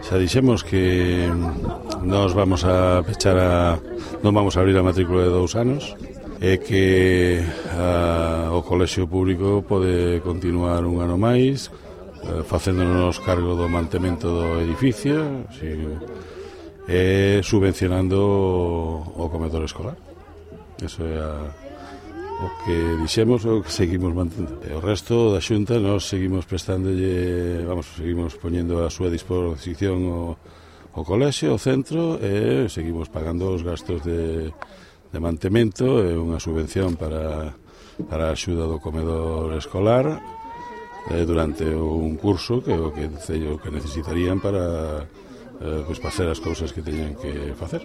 Xa dixemos que nos vamos a pechar non vamos a abrir a matrícula de 2 anos e que o colexio público pode continuar un ano máis facéndonos cargo do mantemento do edificio e subvencionando o comedor escolar. Eso é o que dixemos, o que seguimos mantendo. E o resto da Xunta nos seguimos seguimos poñendo a súa disposición o colexio, o centro, e seguimos pagando os gastos de mantemento e unha subvención para a axuda do comedor escolar durante un curso que o que necesitarían para facer as cousas que teñen que facer.